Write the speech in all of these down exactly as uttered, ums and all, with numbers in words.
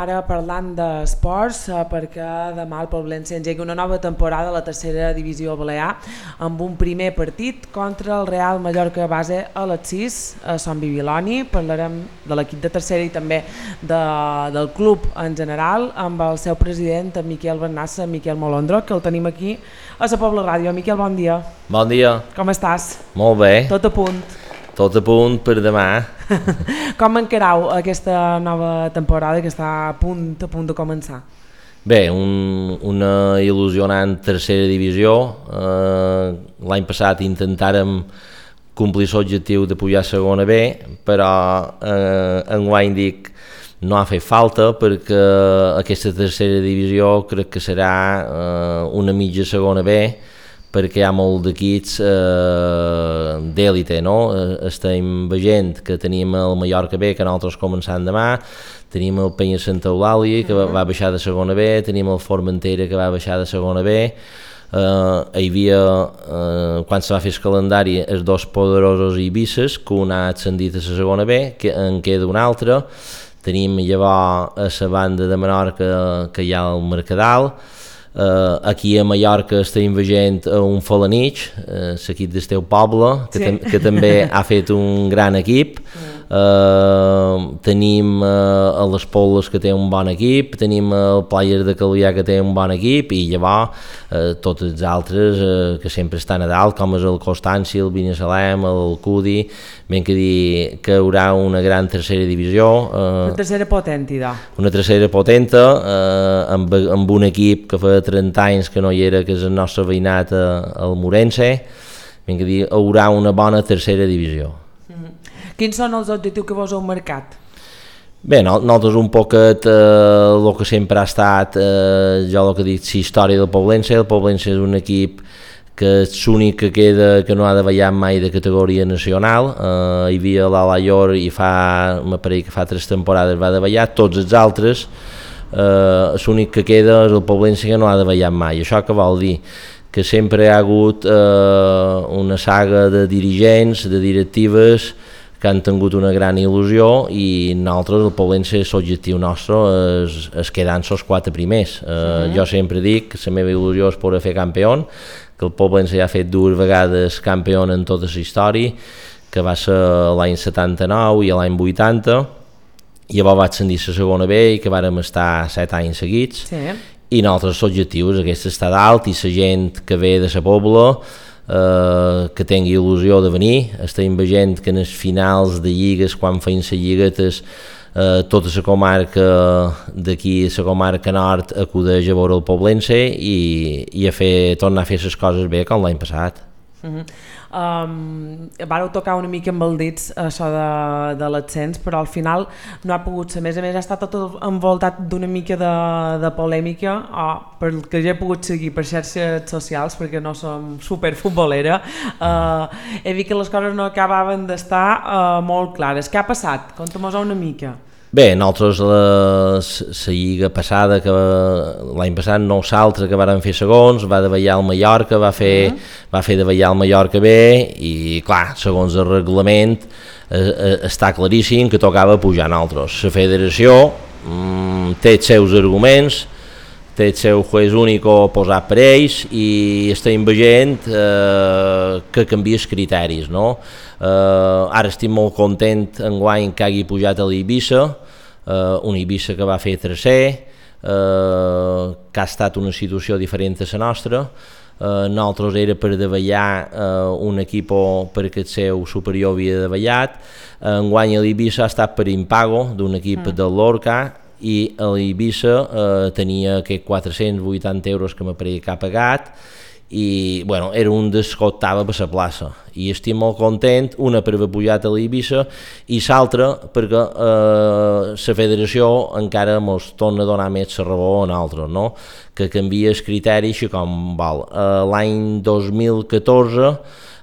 ara parlant d'esports eh, perquè demà el Poblense engega una nova temporada a la tercera divisió balear amb un primer partit contra el Real Mallorca base a les sis a Sant Bibiloni. Parlarem de l'equip de tercera i també de, del club en general amb el seu president, en Miquel Bernassa, Miquel Molondro, que el tenim aquí a la Pobla Ràdio. Miquel, bon dia. Bon dia. Com estàs? Molt bé. Tot a punt? Tot a punt per demà. Com encarau aquesta nova temporada que està a punt, a punt de començar? Bé, un, una il·lusionant tercera divisió. Eh, L'any passat intentàrem complir l'objectiu de pujar a segona B, però eh, enguany dic no ha fet falta perquè aquesta tercera divisió crec que serà eh, una mitja segona B, perquè hi ha molt d'equips eh, d'èlite, no? Estem veient que tenim el Mallorca B, que nosaltres començant demà, tenim el Penya Santa Eulàlia, que va, va baixar de segona B, tenim el Formentera, que va baixar de segona B, eh, hi havia, eh, quan se va fer el calendari, els dos poderosos Ibises, que un ha ascendit a la segona B, que en queda un altre, tenim llavors a la banda de Menorca que hi ha el Mercadal. Uh, aquí a Mallorca estem veient un Falanich, uh, l'equip del teu poble, que, sí. tam que també ha fet un gran equip. Uh, tenim uh, a les Poles, que té un bon equip, tenim el Players de Calvià, que té un bon equip, i llavors uh, tots els altres uh, que sempre estan a dalt, com és el Constància, el Binissalem, el Cudi. Ben que dir que hi haurà una gran tercera divisió. Uh, una tercera potenta. Una tercera potenta, uh, amb, amb un equip que fa trenta anys que no hi era, que és el nostre veïnat al Morense. Ben que dir, hi haurà una bona tercera divisió. Mm-hmm. Quins són els objectius que vos heu marcat? Bé, no, nosaltres un poquet eh, el que sempre ha estat, eh, jo el que dic, la història del Poblense. El Poblense és un equip que és l'únic que queda que no ha de ballar mai de categoria nacional. Eh, hi havia l'Alaior i fa, m'apareix que fa tres temporades va de ballar, tots els altres, eh, l'únic que queda és el Poblense que no ha de ballar mai. Això què vol dir? Que sempre hi ha hagut eh, una saga de dirigents, de directives, que han tingut una gran il·lusió, i nosaltres, el Poblense, l'objectiu nostre és, és quedar en els quatre primers. Eh, sí. Jo sempre dic que la meva il·lusió és poder fer campió, que el Poblense ja ha fet dues vegades campió en tota la història, que va ser l'any setanta-nou i l'any vuitanta, i llavors va ascendir a la segona B, i que vàrem estar set anys seguits, sí. I nosaltres l'objectiu és aquest, estar dalt, i la gent que ve de la Pobla, Uh, que tingui il·lusió de venir. Estem veient que en els finals de lligues, quan feien les lliguetes, uh, tota la comarca d'aquí, la comarca nord, acudeix a veure el Poblense i, i a fer, tornar a fer les coses bé com l'any passat. Uh-huh. um, Vareu tocar una mica amb els dits això de, de l'ascens, però al final no ha pogut ser. A més a més ha estat tot envoltat d'una mica de, de polèmica, oh, pel que ja he pogut seguir per xarxes socials, perquè no som superfutbolera. uh, he vist que les coses no acabaven d'estar uh, molt clares. Què ha passat? Conta-mos una mica. Bé, nosaltres la, la lliga passada, que l'any passat nosaltres que vàrem fer segons, va davallar el Mallorca, va fer, uh -huh. va fer davallar el Mallorca bé, i clar, segons el reglament eh, eh, està claríssim que tocava pujar nosaltres. La federació mm, té els seus arguments, té el seu juez único posat per ells, i estem veient eh, que canvia els criteris, no? Uh, ara estic molt content enguany que hagi pujat a l'Eivissa, uh, un Eivissa que va fer tercer, uh, que ha estat una situació diferent a la nostra. Uh, nosaltres era per davallar uh, un equip perquè el seu superior havia davallat. Uh, enguany a l'Eivissa ha estat per impago d'un equip mm. del Lorca, i a l'Eivissa uh, tenia aquests quatre-cents vuitanta euros que m'apareix que ha pagat, i bueno, era un dels que optava per la plaça, i estic molt content, una per haver pujat a l'Eivissa i l'altra perquè eh, la federació encara ens torna a donar més la raó a nosaltres, no? Que canvia el criteri així com vol. Eh, l'any dos mil catorze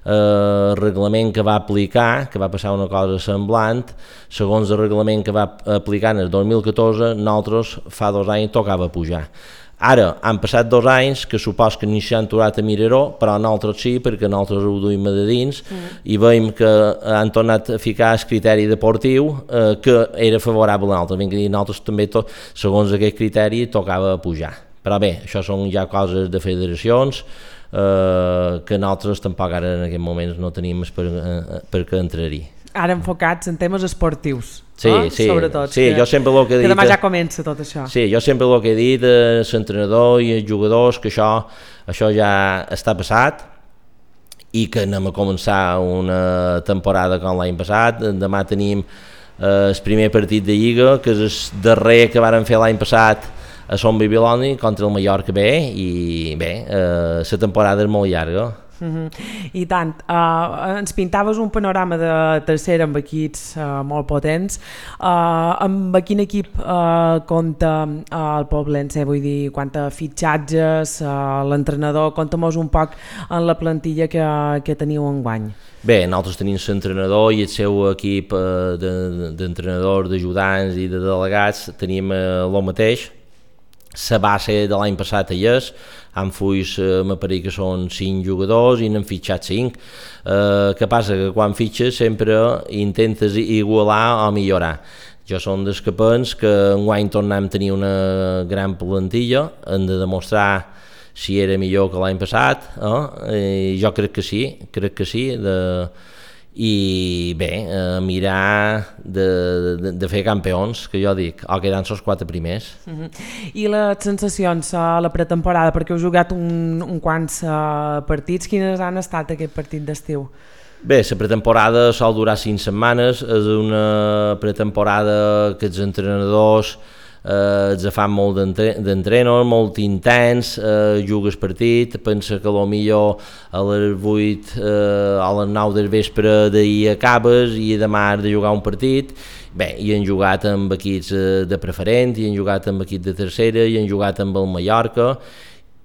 el reglament que va aplicar, que va passar una cosa semblant, segons el reglament que va aplicar en el dos mil catorze, nosaltres fa dos anys tocava pujar. Ara, han passat dos anys, que supos que ni s'han aturat a mirar-ho, però nosaltres sí, perquè nosaltres ho duim de dins, mm. i veiem que han tornat a ficar el criteri deportiu eh, que era favorable a nosaltres. Ben que dir, nosaltres també, tot, segons aquest criteri, tocava pujar. Però bé, això són ja coses de federacions, eh, que nosaltres tampoc ara en aquest moment no tenim per, eh, per què entrar-hi. Ara enfocats en temes esportius, sí, eh? sí, sobretot, sí, que, jo sempre el que he dit, que demà ja comença tot això. Sí, jo sempre el que he dit a l'entrenador i als jugadors que això, això ja està passat i que anem a començar una temporada com l'any passat. Demà tenim eh, el primer partit de Lliga, que és el darrer que varen fer l'any passat a Son Bibiloni contra el Mallorca B, i bé, eh, la temporada és molt llarga. Uh-huh. I tant, uh, ens pintaves un panorama de tercera amb equips uh, molt potents. Uh, amb quin equip uh, compta uh, el Poblense? Vull dir, quant a fitxatges, uh, l'entrenador, compta-mos un poc en la plantilla que, que teniu enguany. Bé, nosaltres tenim l'entrenador i el seu equip uh, d'entrenadors, de, d'ajudants i de delegats, tenim uh, el mateix. La base de l'any passat hi és, amb fulls eh, m'apareix que són cinc jugadors i n'han fitxat cinc. Eh, que passa que quan fitxes sempre intentes igualar o millorar. Jo som dels que pens que enguany tornem a tenir una gran plantilla, hem de demostrar si era millor que l'any passat, eh? I jo crec que sí, crec que sí, de... i bé, eh, mirar de, de, de fer campions, que jo dic, o quedant-se els quatre primers. Uh-huh. I les sensacions a la pretemporada, perquè heu jugat un, un quants uh, partits, quines han estat aquest partit d'estiu? Bé, la pretemporada sol durar cinc setmanes, és una pretemporada que els entrenadors eh, els fan molt d'entrenos, molt intens, eh, jugues partit, pensa que millor a les vuit eh, a les nou del vespre d'ahir acabes i demà has de jugar un partit. Bé, i han jugat amb equips de preferent, i han jugat amb equip de tercera, i han jugat amb el Mallorca,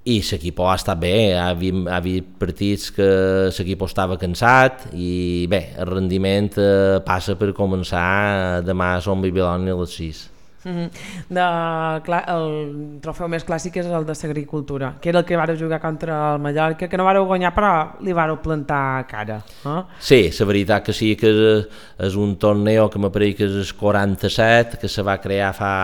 i l'equip ha estat bé, ha hagut, ha hagut partits que l'equip estava cansat, i bé, el rendiment eh, passa per començar demà a Son Bibiloni a les sis. Uh-huh. De, clar, el trofeu més clàssic és el de l'agricultura, que era el que vareu jugar contra el Mallorca, que no vareu guanyar però li vareu plantar cara, eh? Sí, la veritat que sí, que és, és un torneo que m'apareix que és el quaranta-set, que se va crear fa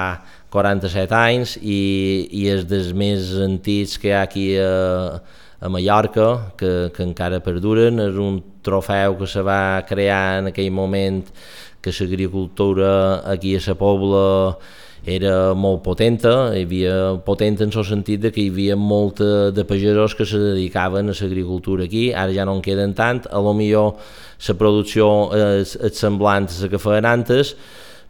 quaranta-set anys, i, i és dels més antics que hi ha aquí a, a Mallorca, que, que encara perduren. És un trofeu que se va crear en aquell moment que l'agricultura aquí a la Pobla era molt potenta, hi havia potent en el sentit de que hi havia molt de pagesos que se dedicaven a l'agricultura aquí. Ara ja no en queden tant, a lo millor la producció és, és semblant a la que feien antes,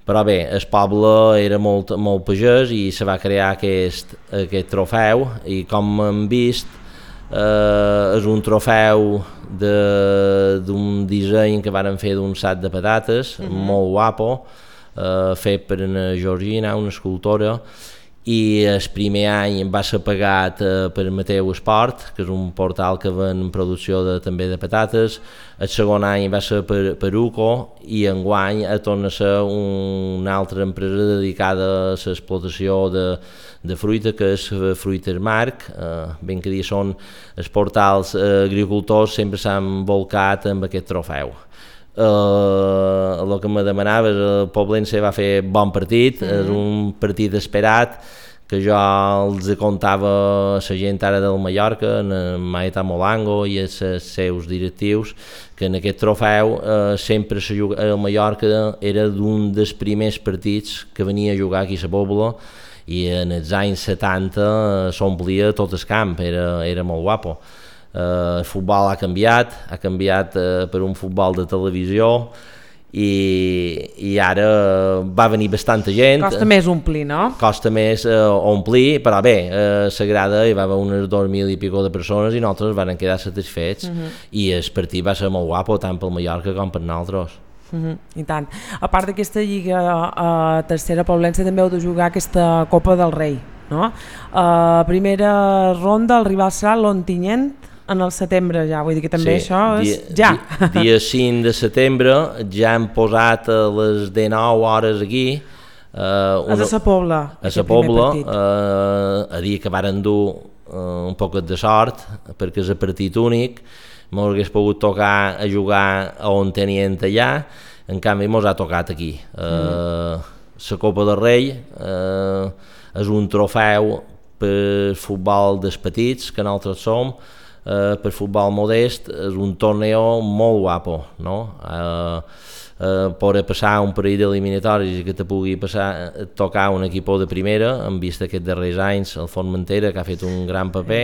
però bé, el poble era molt, molt pagès i se va crear aquest, aquest trofeu, i com hem vist eh, és un trofeu d'un disseny que varen fer d'un sac de patates, uh-huh. molt guapo, eh, fet per una Georgina, una escultora, i el primer any va ser pagat eh, per Mateu Esport, que és un portal que ven producció de, també de patates. El segon any va ser per, per Uco, i enguany torna a ser un, una altra empresa dedicada a l'explotació de, de fruita, que és Fruiters Marc. Eh, ben que dir, són els portals eh, agricultors, sempre s'han volcat amb aquest trofeu. Uh, el que me demanaves, el Poblense va fer bon partit, mm-hmm. és un partit esperat, que jo els contava a la gent ara del Mallorca, en Maeta Molango i els seus directius, que en aquest trofeu eh, sempre el Mallorca era d'un dels primers partits que venia a jugar aquí a la Pobla, i en els anys setanta s'omplia tot el camp, era, era molt guapo. Uh, el futbol ha canviat, ha canviat uh, per un futbol de televisió, i, i ara va venir bastanta gent. Costa més omplir, no? Costa més uh, omplir, però bé, uh, s'agrada, hi va haver unes dos mil i pico de persones i nosaltres van quedar satisfets, uh-huh. i el partit va ser molt guapo tant pel Mallorca com per nosaltres. Uh-huh, i tant. A part d'aquesta lliga uh, tercera, Poblense també heu de jugar aquesta Copa del Rei, no? Uh, primera ronda, el rival serà l'Ontinyent en el setembre ja, vull dir que també sí, això és dia, ja. Dia, dia cinc de setembre, ja hem posat a les dinou hores aquí Uh, una, a Sa Pobla. A Sa Pobla, uh, a dir que varen dur uh, un poquet de sort, perquè és a partit únic, mos hagués pogut tocar a jugar a on tenien allà, en canvi mos ha tocat aquí. Uh, la Copa del Rei uh, és un trofeu per futbol dels petits, que nosaltres som, uh, per futbol modest, és un torneo molt guapo, no? Uh, Uh, poder passar un parell d'eliminatoris i que te pugui passar, tocar un equip de primera, hem vist aquests darrers anys el Formentera, que ha fet un gran paper,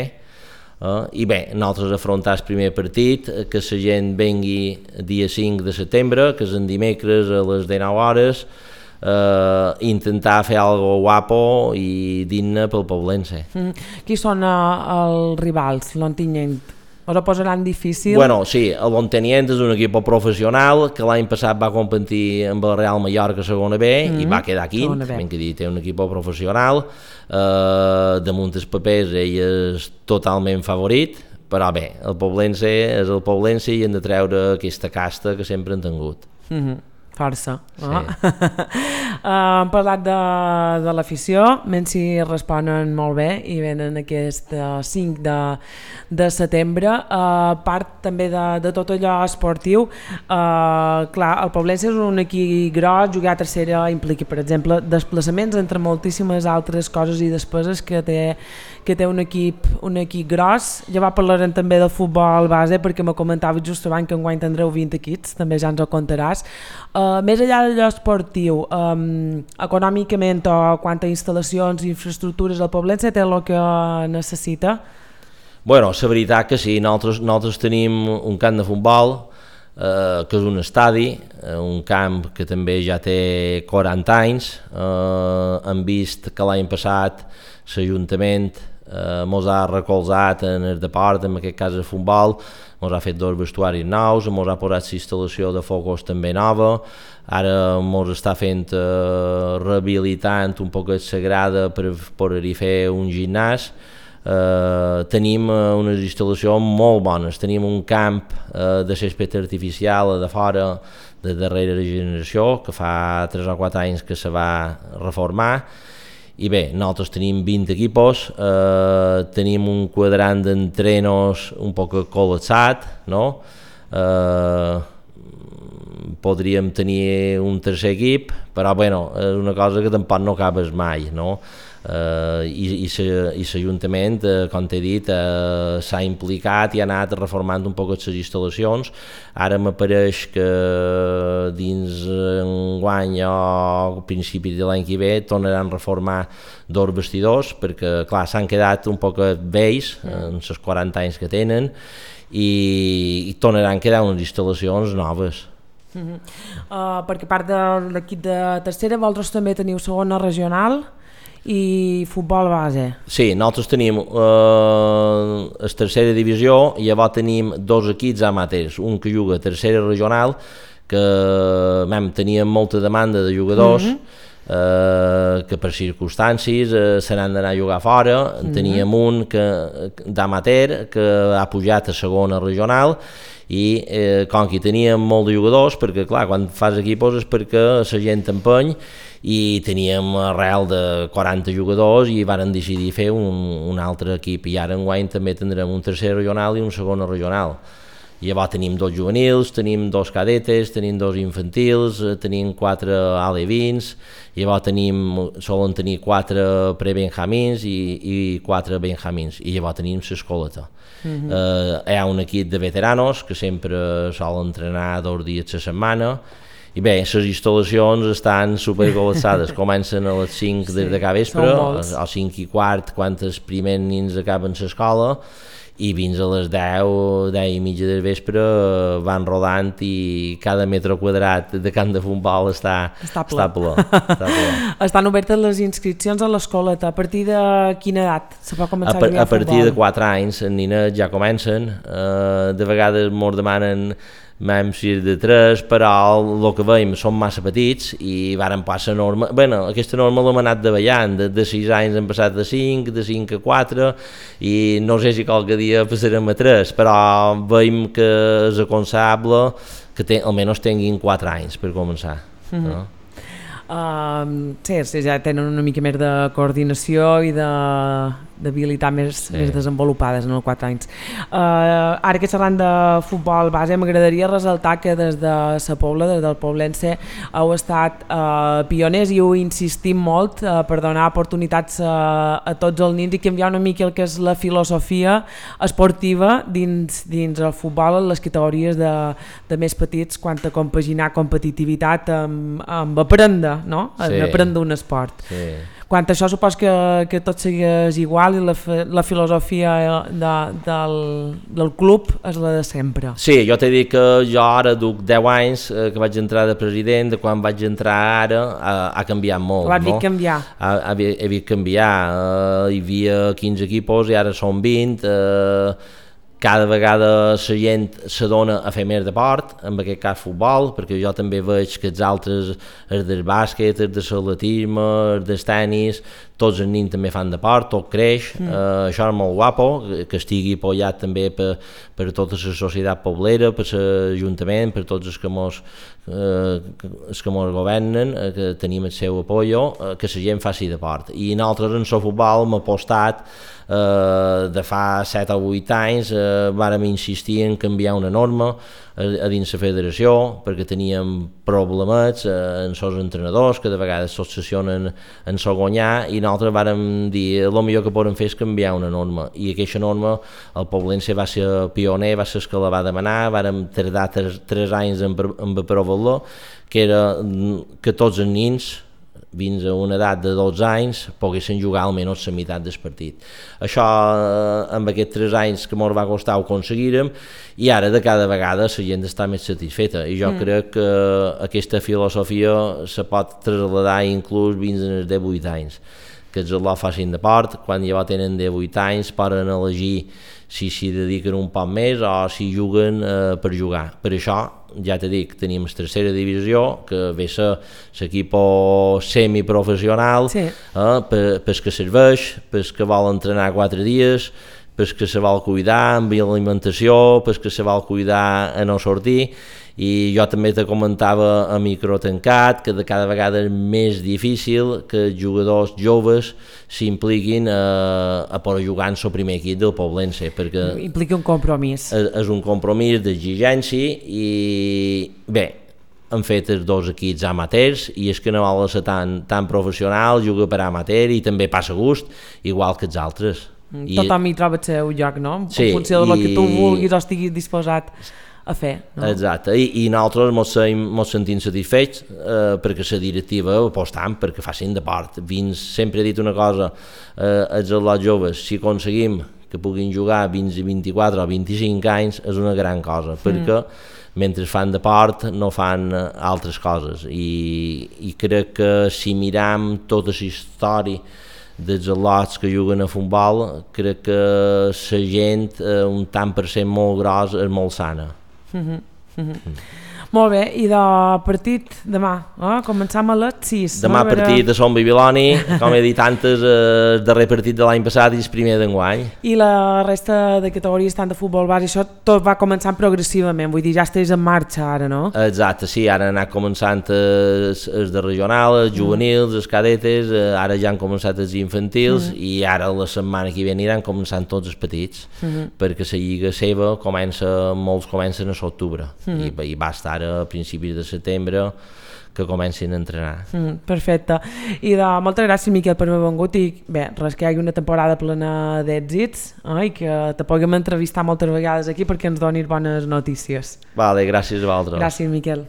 uh, i bé, nosaltres afrontar el primer partit, que la gent vengui dia cinc de setembre, que és en dimecres a les dinou hores, uh, intentar fer algo guapo i digne pel poblense. Mm. Qui són uh, els rivals, l'Ontinyent? Us ho posaran difícil? Bueno, sí, el Ontinyent és un equip professional que l'any passat va competir amb el Real Mallorca a segona B mm -hmm. i va quedar quint, ben que dir, té un equip professional, eh, damunt els papers ell és totalment favorit, però bé, el poblense és el poblense i hem de treure aquesta casta que sempre han tingut. Mm -hmm. Força. Sí. Oh. uh, hem parlat de, de l'afició, menys si responen molt bé i venen aquest uh, cinc de setembre. A uh, part també de, de tot allò esportiu, uh, clar, el Poblense és un equip gros, jugar a tercera implica, per exemple, desplaçaments entre moltíssimes altres coses i despeses que té, que té un equip, un equip gros. Ja va parlarem també del futbol base, perquè me comentava just abans que enguany tindreu vint equips, també ja ens ho contaràs. Uh, més enllà d'allò esportiu, um, econòmicament o quant a instal·lacions i infraestructures el Poblense té el que necessita? Bueno, la veritat que sí, nosaltres, nosaltres tenim un camp de futbol, eh, que és un estadi, eh, un camp que també ja té quaranta anys, eh, hem vist que l'any passat l'Ajuntament eh, mos ha recolzat en el deport, en aquest cas el futbol, mos ha fet dos vestuaris nous, mos ha posat l'instal·lació de focus també nova, ara mos està fent eh, rehabilitant un poc la grada per poder-hi fer un gimnàs. Uh, tenim uh, unes instal·lacions molt bones, tenim un camp uh, de césped artificial de fora de darrera generació que fa tres o quatre anys que se va reformar i bé, nosaltres tenim vint equipos, uh, tenim un quadrant d'entrenos un poc col·lapsat, no? Uh, podríem tenir un tercer equip, però bueno, és una cosa que tampoc no acabes mai, no? Uh, i, i l'Ajuntament, uh, com t'he dit, uh, s'ha implicat i ha anat reformant un poc les instal·lacions. Ara m'apareix que dins enguany o al principi de l'any que ve tornaran a reformar dos vestidors, perquè clar, s'han quedat un poc vells en els quaranta anys que tenen i, i tornaran a quedar unes instal·lacions noves. Uh -huh. uh, perquè a part de l'equip de tercera, vosaltres també teniu segona regional i futbol base. Sí, nosaltres tenim eh, la tercera divisió i llavors tenim dos equips amateurs, un que juga a tercera regional, que vam, teníem molta demanda de jugadors, mm -hmm. eh, que per circumstàncies eh, se n'han d'anar a jugar fora, mm -hmm. teníem un d'amateur que ha pujat a segona regional i eh, com que teníem molt de jugadors, perquè clar, quan fas equipos és perquè la gent t'empeny, i teníem arrel de quaranta jugadors i varen decidir fer un, un altre equip i ara enguany també tindrem un tercer regional i un segon regional. I llavors tenim dos juvenils, tenim dos cadetes, tenim dos infantils, tenim quatre alevins, i llavors tenim, solen tenir quatre prebenjamins i, i quatre benjamins, i llavors tenim l'escoleta. Uh-huh. eh, hi ha un equip de veteranos que sempre solen entrenar dos dies a la setmana, i bé, les instal·lacions estan supercol·lapsades, comencen a les cinc sí, des de cada vespre, a cinc i quart quan els primers nins acaben l'escola, i fins a les deu, deu i mitja del vespre van rodant i cada metre quadrat de camp de futbol està, està ple. Està ple, està ple. Estan obertes les inscripcions a l'escoleta. A partir de quina edat se pot començar a, a jugar a futbol? A partir de quatre anys, els nines ja comencen, uh, de vegades ens demanen vam ser de tres, però el que veiem són massa petits i varen passar norma, bueno, aquesta norma l'hem anat davallant, de, de sis anys hem passat de cinc, de cinc a quatre i no sé si qualque dia passarem a tres, però veiem que és aconsellable que ten, almenys tinguin quatre anys per començar. Mm-hmm. No? Uh, sí, sí, ja tenen una mica més de coordinació i de d'habilitat més, sí. més desenvolupades en els quatre anys. Uh, ara que xerrant de futbol base, m'agradaria ressaltar que des de la Pobla, des del Poblense, heu estat uh, pioners i heu insistit molt uh, per donar oportunitats uh, a tots els nins i canviar una mica el que és la filosofia esportiva dins, dins el futbol en les categories de, de més petits, quant a compaginar competitivitat amb, amb aprendre, no? Sí. Aprendre un esport. Sí. Quant a això, supos que, que tot segueix igual i la, la filosofia de, del, del club és la de sempre. Sí, jo t'he dit que jo ara duc deu anys eh, que vaig entrar de president, de quan vaig entrar ara ha, ha canviat molt. Ho has vist canviar? Ha, ha, he vist canviar, eh, hi havia quinze equipos i ara són vint, eh, cada vegada la gent s'adona a fer més deport, en aquest cas futbol, perquè jo també veig que els altres, els del bàsquet, els del atletisme, els del tenis, tots els nins també fan deport, tot creix, mm. eh, això és molt guapo, que estigui apoyat també per, per tota la societat poblera, per l'Ajuntament, per tots els que mos, eh, els que mos governen, eh, que tenim el seu apoyo, eh, que la gent faci deport. I nosaltres en el futbol hem apostat eh, de fa set o vuit anys, eh, vàrem insistir en canviar una norma a, a dins la federació, perquè teníem problemes eh, en els entrenadors, que de vegades s'obsessionen en so guanyar, i nosaltres vàrem dir el millor que podem fer és canviar una norma, i aquesta norma el Poblense va ser pioner, va ser el que la va demanar, vàrem tardar tres, tres anys en, en aprovar-la, que era que tots els nins fins a una edat de dotze anys poguessin jugar almenys la meitat del partit. Això amb aquests tres anys que ens va costar ho aconseguirem, i ara de cada vegada la gent està més satisfeta, i jo mm. crec que aquesta filosofia se pot traslladar inclús fins als divuit anys, que els alumnes facin deport, quan ja tenen divuit anys poden elegir si s'hi dediquen un poc més o si juguen eh, per jugar. Per això, ja t'he dit, tenim la tercera divisió, que ve a ser l'equip semiprofessional, sí. eh, per, per que serveix, per que vol entrenar quatre dies, per que se vol cuidar amb l'alimentació, per que se vol cuidar a no sortir, i jo també te comentava a micro tancat que de cada vegada és més difícil que els jugadors joves s'impliquin a, a poder jugar en el primer equip del Poblense, perquè implica un compromís. És, és un compromís d'exigència, i bé, han fet els dos equips amateurs, i és que no vol ser tan, tan professional, juga per amateur i també passa gust, igual que els altres. Tothom hi troba el seu lloc, no? Sí, en funció del i... que tu vulguis o estiguis disposat a fer, no? Exacte, i, i nosaltres ens sentim satisfets eh, perquè la directiva apostam perquè facin deport. Fins, sempre he dit una cosa, eh, els atletes joves, si aconseguim que puguin jugar fins a vint-i-quatre o vint-i-cinc anys és una gran cosa, perquè mm. mentre fan deport no fan altres coses, i, i crec que si miram tota la història dels atletes que juguen a futbol, crec que la gent, eh, un tant per cent molt gros, és molt sana. Mm-hmm. Mm-hmm. Mm. Molt bé, i de partit demà, eh? Començam a les sis. Demà no? Partit de Son Bibiloni, com he dit antes, el darrer partit de l'any passat i el primer d'enguany. I la resta de categories, tant de futbol base, això tot va començant progressivament, vull dir, ja estàs en marxa ara, no? Exacte, sí, ara han anat començant els, els de regional, els juvenils, mm. els cadetes, ara ja han començat els infantils, mm. i ara la setmana que ve aniran començant tots els petits, mm. perquè la lliga seva comença, molts comencen a l'octubre, mm. i, i va estar a principis de setembre que comencin a entrenar. Mm, perfecte. I de, moltes gràcies, Miquel, per haver vengut, i bé, res, que hi hagi una temporada plena d'èxits, eh, i que te puguem entrevistar moltes vegades aquí perquè ens donis bones notícies. Vale, gràcies a vosaltres. Gràcies, Miquel.